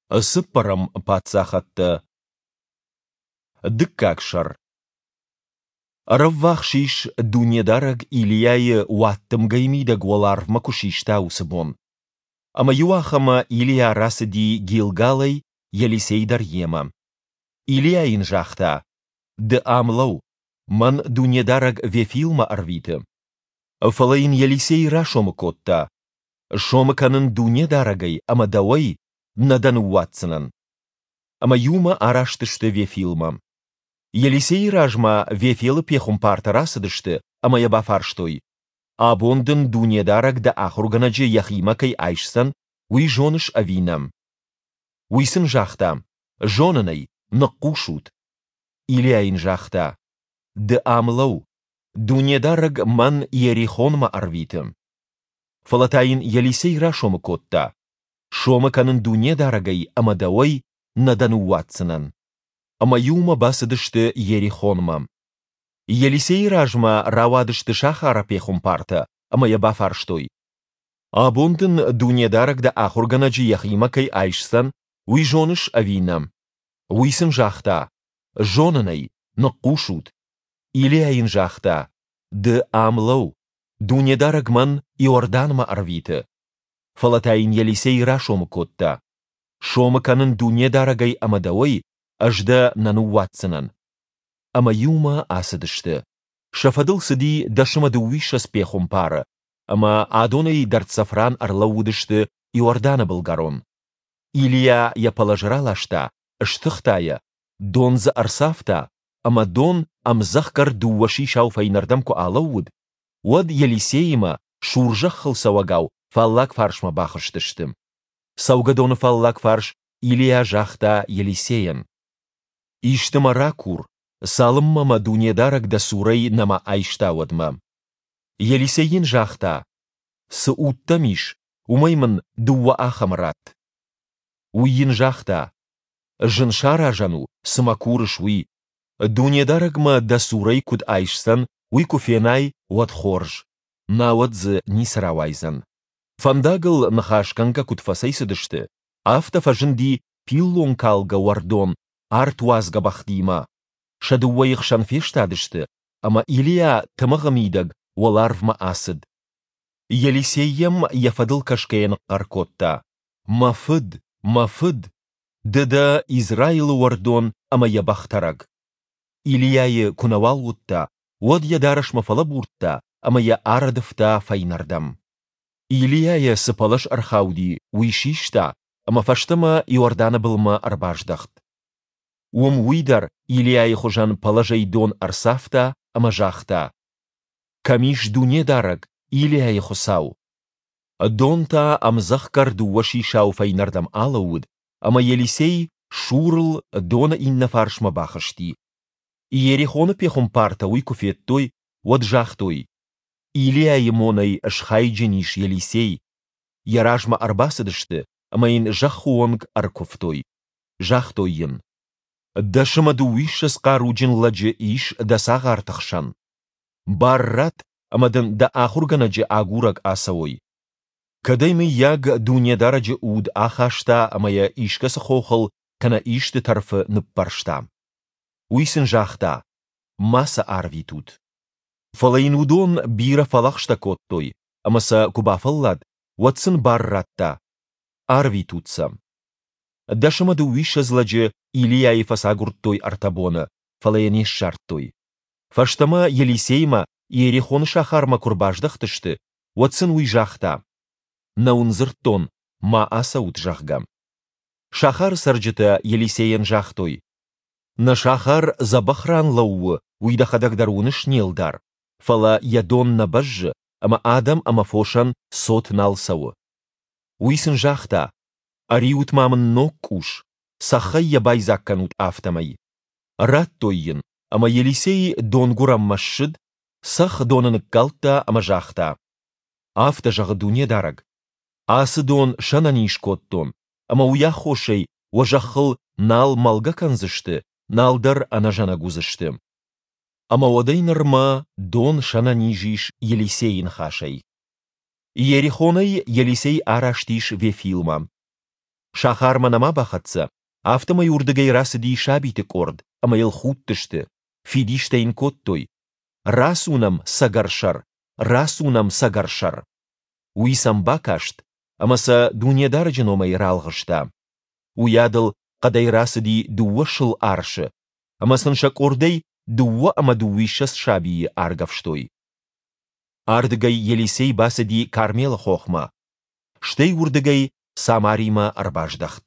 Цыппӕрӕм паддзахӕдтӕ. Дыккаг сӕр. Ӕрӕввахс ис, Дунедарӕг Илийайы уаддымгӕйы мидӕг уӕларвмӕ куы систа, уыцы бон. Ӕмӕ иуахӕмы Илийа рацыди Гилгалӕй, Елисей дӕр йемӕ. Илийа йын загъта: Ды ам лӕуу, мӕн Дунедарӕг Вефилмӕ ӕрвиты. Фӕлӕ йын Елисей расомы кодта: Сомы кӕнын Дунедарӕгӕй ӕмӕ дӕуӕй, нӕ дӕ ныууадздзынӕн. Ӕмӕ иумӕ араст сты Вефилмӕ. Елисейы размӕ Вефилы пехуымпартӕ рацыдысты ӕмӕ йӕ бафарстой: Абон дын Дунедарӕг дӕ ахуыргӕнӕджы йӕхимӕ кӕй айсдзӕн, уый зоныс ӕви нӕ? Уый сын загъта: Зонын ӕй, ныхъхъус ут. Илийа йын загъта: Ды ам лӕуу, Дунедарӕг мӕн Иерихонмӕ ӕрвиты. Фӕлӕ та йын Елисей расомы кодта: Сомы кӕнын Дунедарӕгӕй ӕмӕ дӕуӕй, нӕ дӕ ныууадздзынӕн. Ӕмӕ иумӕ бацыдысты Иерихонмӕ. Елисейы размӕ рауадысты сахары пехуымпартӕ ӕмӕ йӕ бафарстой: Абон дын Дунедарӕг дӕ ахуыргӕнӕджы йӕхимӕ кӕй айсдзӕн, уый зоныс ӕви нӕ? Уый сын загъта: Зонын ӕй, ныхъхъус ут. Илийа йын загъта: Ды ам лӕуу, Дунедарӕг мӕн Иорданмӕ ӕрвиты. Фӕлӕ та йын Елисей расомы кодта: Сомы кӕнын Дунедарӕгӕй ӕмӕ дӕуӕй, ӕз дӕ нӕ ныууадздзынӕн. Ӕмӕ иумӕ ацыдысты. Сӕ фӕдыл цыди 122 пехуымпары, ӕмӕ адонӕй дӕрддзӕф ран ӕрлӕууыдысты Иорданы былгӕрон. Илийа йӕ пӕлӕз раласта, стыхта йӕ, дон дзы ӕрцавта, ӕмӕ дон ӕмдзӕхгӕр дыууӕ сисау фӕйнӕрдӕм куы алӕууыд, уӕд Елисеимӕ, сурзӕххыл цӕуӕгау, фаллаг фарсмӕ бахызтысты. Цӕугӕдоны фаллаг фарс Илийа загъта Елисейӕн: Исты мӕ ракур, цалынмӕ мӕ Дунедарӕг дӕ цурӕй нӕма айста, уӕдмӕ. Елисей йын загъта: Цы уд дӕм ис, уымӕй мын дыууӕ ахӕмы ратт. Уый йын загъта: Зын саразӕн у, цы мӕ курыс, уый. Дунедарӕг мӕ дӕ цурӕй куыд айсдзӕн, уый куы фенай, уӕд хорз, науӕд дзы ницы рауайдзӕн. Фӕндагыл ныхасгӕнгӕ куыд фӕцӕйцыдысты, афтӕ фӕзынди пиллонкалгӕ уӕрдон артуадзгӕ бӕхтимӕ. Сӕ дыууӕйы хсӕн фестадысты, ӕмӕ Илийа тымыгъы мидӕг уӕларвмӕ ацыд. Елисей йӕм йӕ фӕдыл кӕсгӕйӕ ныхъхъӕр кодта: Мӕ фыд, мӕ фыд! Ды дӕ Израилы уӕрдон ӕмӕ йӕ бӕхтӕрӕг! Илийайы куы нӕуал уыдта, уӕд йӕ дарӕсмӕ фӕлӕбурдта ӕмӕ йӕ арӕдывта фӕйнӕрдӕм. Илийайӕ цы пӕлӕз ӕрхауди, уый систа ӕмӕ фӕстӕмӕ Иорданы былмӕ ӕрбаздӕхт. Уым уый дӕр Илийайы хуызӕн пӕлӕзӕй дон ӕрцавта ӕмӕ загъта: Кӕм ис Дунедарӕг, Илийайы Хуыцау? Дон та ӕмдзӕхгӕр дыууӕ сисау фӕйнӕрдӕм алӕууыд, ӕмӕ Елисей Сурыл доны иннӕ фарсмӕ бахызти. Иерихоны пехуымпартӕ уый куы федтой, уӕд загътой: Илийайы монӕй схайджын ис Елисей. Йӕ размӕ ӕрбацыдысты ӕмӕ йын зӕххы онг ӕркуывтой. Загътой йын: 21 хъаруджын лӕджы ис дӕ цагъарты хсӕн. Бар ратт, ӕмӕ дын дӕ ахуыргӕнӕджы агурӕг ацӕуой. Кӕд ӕй, мыййаг, Дунедарӕджы уд ахаста ӕмӕ йӕ искӕцы хохыл кӕнӕ исты тӕрфы ныппӕрста. Уый сын загъта: Ма сӕ арвитут. Фӕлӕ йын уыдон бирӕ фӕлӕгъстӕ кодтой, ӕмӕ сӕ куы бафӕллад, уӕд сын бар радта: Арвитут сӕ. 21 лӕджы Илийайы фӕцагуырдтой ӕртӕ боны, фӕлӕ йӕ не ссардтой. Фӕстӕмӕ Елисеймӕ Иерихоны сахармӕ куы рбаздӕхтысты, уӕд сын уый загъта: Нӕ уын дзырдтон, ма ацӕут, зӕгъгӕ. Сахары цӕрджытӕ Елисейӕн загътой: Нӕ сахар дзӕбӕх ран лӕууы, уый дӕхӕдӕг дӕр уыныс, не лдар, фӕлӕ йӕ дон нӕ бӕззы, ӕмӕ адӕм ӕмӕ фосӕн цот нал цӕуы. Уый сын загъта: Ӕриут-ма мын ног къус, цӕххӕй йӕ байдзаг кӕнут афтӕмӕй. Радтой йын, ӕмӕ Елисей донгуырӕнмӕ ссыд, цӕхх доны ныккалдта ӕмӕ загъта: Афтӕ зӕгъы Дунедарӕг: Ацы дон сӕнӕниз кодтон, ӕмӕ уый аххосӕй уӕ зӕххыл нал мӕлгӕ кӕндзысты, нал дӕр ӕнӕзӕнӕг уыдзысты. Ӕмӕ уӕдӕй нырмӕ дон сӕнӕниз ис Елисейы ныхасӕй. Иерихонӕй Елисей араст ис Вефилмӕ. Сахармӕ нӕма бахӕццӕ, афтӕмӕй уырдыгӕй рацыди сабиты къорд ӕмӕ йыл худтысты, фидистӕ йын кодтой, Рацу нӕм, цӕгӕрсӕр! Рацу нӕм, цӕгӕрсӕр! Уый сӕм бакаст ӕмӕ сӕ Дунедарӕджы номӕй ралгъыста. Уыйадыл хъӕдӕй рацыди дыууӕ сыл арсы ӕмӕ сын сӕ къордӕй 22 сабийы аргӕвстой. Ардыгӕй Елисей бацыди Кармелы хохмӕ, стӕй уырдыгӕй Самаримӕ ӕрбаздӕхт.